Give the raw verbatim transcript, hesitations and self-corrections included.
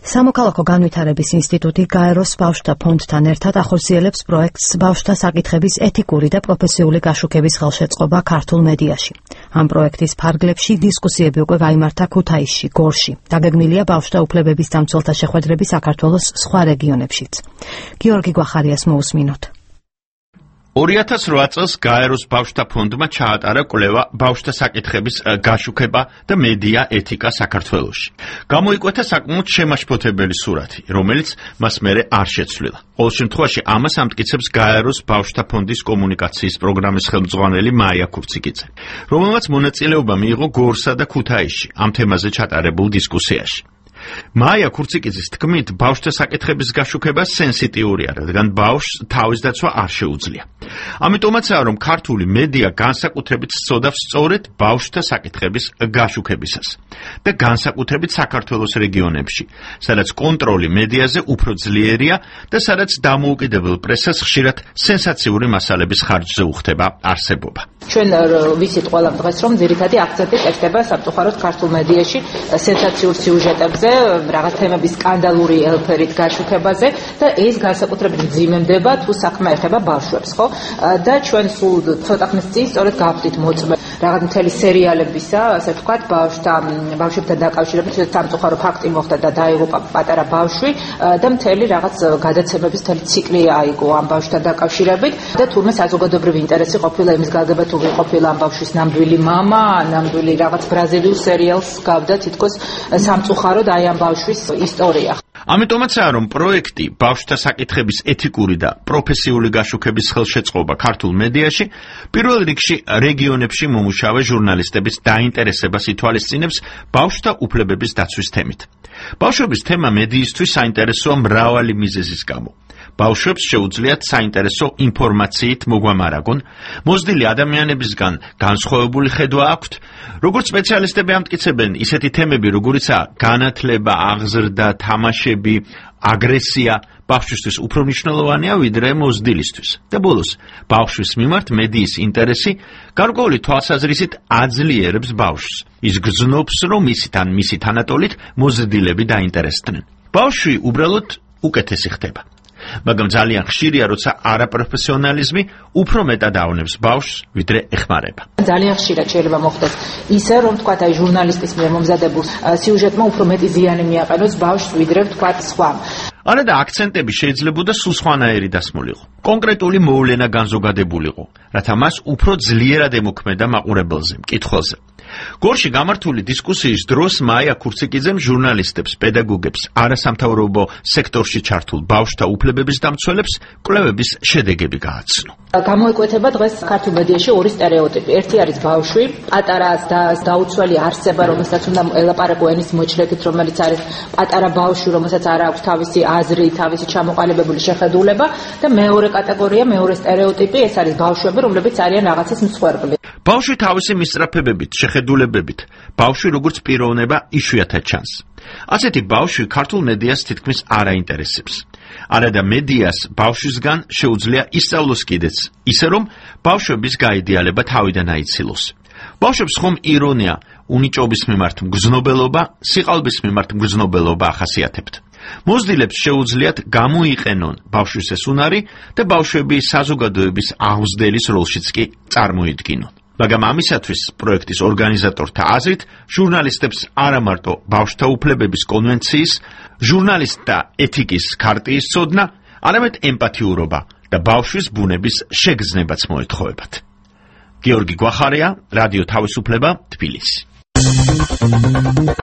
სამოქალაქო განვითარების ინსტიტუტი გაეროს ბავშვთა ფონდთან ერთად ახორციელებს პროექტს ბავშვთა საკითხების ეთიკური და პროფესიული გაშუქების ხელშეწყობა ქართულ მედიაში. ამ პროექტის ფარგლებში დისკუსიები უკვე გაიმართა ქუთაისში, გორში. დაგეგმილია ბავშვთა უფლებების დამცველთა შეხვედრები საქართველოს სხვა რეგიონებშიც. გიორგი გვახარიას მოусმინოთ. ორი ათას რვა წელს გაეროს ბავშვთა ფონდმა ჩაატარა კვლევა ბავშვთა საკითხების გაშუქება და მედია ეთიკა საქართველოში. გამოიკვეთა საკმაოდ შემაშფოთებელი სურათი, რომელიც მას მერე არ შეცვლილა. ყოველ შემთხვევაში ამას ამტკიცებს გაეროს ბავშვთა ფონდის კომუნიკაციის პროგრამის ხელმძღვანელი მაია ქურციკიძე, რომელმაც მონაწილეობა მიიღო გორსა და ქუთაისში ამ თემაზე ჩატარებულ დისკუსიაში. მაია ქურციკიძის თქმით, ბავშვთა საკითხების გაშუქება სენსიტიურია, რადგან ბავშვს თავის დაცვა არ შეუძლია. ამიტომაცაა, რომ ქართული მედია განსაკუთრებით სწოდავს სწორედ ბავშვთა საკითხების გაშუქებისას და განსაკუთრებით საქართველოს რეგიონებში, სადაც კონტროლი მედიაზე უფრო ძლიერია და სადაც დამოუკიდებელ პრესას ხშირად სენსაციური მასალების ხარჯზე უხდება არსებობა. ჩვენ ვიცით ყველამ დღეს, რომ ძირითადი აქცენტი კეთდება სამწუხაროდ ქართულ მედიაში სენსაციურ სიუჟეტებზე, რაღაც თემების სკანდალური ელფერით გაშუქებაზე და ეს განსაკუთრებით მძიმემდება თუ საქმე ეხება ბავშვებს, ხო? და ჩვენ სულ ცოტა ხნის წინ სწორედ გავხდით მოწმე რაღაც მთელი სერიალებისა, ასე ვთქვათ, ბავშვთა ბავშვებთან დაკავშირებით სამწუხარო ფაქტი მოხდა და დაიღუპა პატარა ბავშვი და მთელი რაღაც გადაცემების მთელი ციკლი აიგო ამ ბავშვთან დაკავშირებით და თურმე საზოგადოებრივი ინტერესი ყოფილა იმის გაგება თუ ყოფილა ამ ბავშვის ნამდვილი მამა, ნამდვილი რაღაც ბრაზილიურ სერიალს გავდა თითქოს სამწუხაროდ აი ამ ბავშვის ისტორია. ამიტომაცაა, რომ პროექტი ბავშვთა საკითხების ეთიკური და პროფესიული გაშუქების ხელშეწყობა ქართულ მედიაში პირველ რიგში რეგიონებში მომუშავე ჟურნალისტების დაინტერესებას ითვალისწინებს ბავშვთა უფლებების დაცვის თემით. ბავშვების თემა მედიისთვის საინტერესოა მრავალი მიზეზის გამო. ბავშვებს შეუძლიათ საინტერესო ინფორმაციით მოგვამარაგონ, მოზრდილი ადამიანებისგან განსხვავებული ხედვა აქვთ, როგორც სპეციალისტები ამტკიცებენ, ისეთი თემები, როგორიცაა განათლება, აღზრდა, თამაშები, აგრესია, ბავშვისთვის უფრო მნიშვნელოვანია ვიდრე მოზრდილისთვის. და ბოლოს, ბავშვის მიმართ მედიის ინტერესი გარკვეული თვალსაზრისით აძლიერებს ბავშვს. ის გრძნობს, რომ ისით ან მისი თანატოლით მოზრდილები დაინტერესდნენ. ბავშვი უბრალოდ უკეთესი ხდება. მაგრამ ძალიან ხშირია, როცა არაპროფესიონალიზმი უფრო მეტად ავნებს ბავშვს, ვიდრე ეხმარება. ძალიან ხშირად შეიძლება მოხდეს ისე, რომ თქვათ, აი ჟურნალისტის მიერ მომზადებულ სიუჟეტმა უფრო მეტი ზიანი მიაყენოს ბავშვს, ვიდრე თქვათ სხვამ. არა და აქცენტები შეიძლებოდა სულ სხვანაირი დასმულიყო. კონკრეტული მოვლენა განზოგადებულიყო, რათა მას უფრო ძლიერად ემოქმედა მაყურებელზე, მკითხველზე. გორში გამართული დისკუსიის დროს მაია ქურციკიძემ ჟურნალისტებს, პედაგოგებს, არასამთავრობო სექტორში ჩართულ ბავშვთა უფლებების დამცველებს კვლევების შედეგები გააცნო. გამოიკვეთება დღეს ქართულ მედიაში ორი სტერეოტიპი. ერთი არის ბავშვი, პატარა და დაუცველი არსება, რომელსაც უნდა ელაპარაკო ენის მოჭრებით, რომელიც არის პატარა ბავშვი, რომელსაც არ აქვს თავისი აზრი, თავისი ჩამოყალიბებული შეხედულება და მეორე კატეგორია, მეორე სტერეოტიპი, ეს არის ბავშვები, რომლებიც არიან რაღაცის მსხვერპლი. ბავშვი თავისი მისწრაფებებით, შეხედულებებით, ბავშვი როგორც პიროვნება იშვიათად ჩანს. ასეთი ბავშვი ქართულ მედიას თითქმის არ აინტერესებს. არადა მედიას ბავშვისგან შეუძლია ისწავლოს კიდეც, ისე რომ ბავშვების გაიდეალება თავიდან აიცილოს. ბავშვებს ხომ ირონია, უნიჭობის მიმართ მგრძნობელობა, სიყალბის მიმართ მგრძნობელობა ახასიათებთ. მოზრდილებს შეუძლიათ გამოიყენონ ბავშვის ეს უნარი და ბავშვები საზოგადოების აღმზრდელის როლშიც კი წარმოიდგინონ. მაგრამ ამისათვის პროექტის ორგანიზატორთა აზრით, ჟურნალისტებს არა მარტო ბავშვთა უფლებების კონვენციის, ჟურნალისტთა ეთიკის ქარტიის ცოდნა, არამედ ემპათიურობა და ბავშვის ბუნების შეგრძნებაც მოეთხოვებათ. გიორგი გვახარია, რადიო თავისუფლება, თბილისი.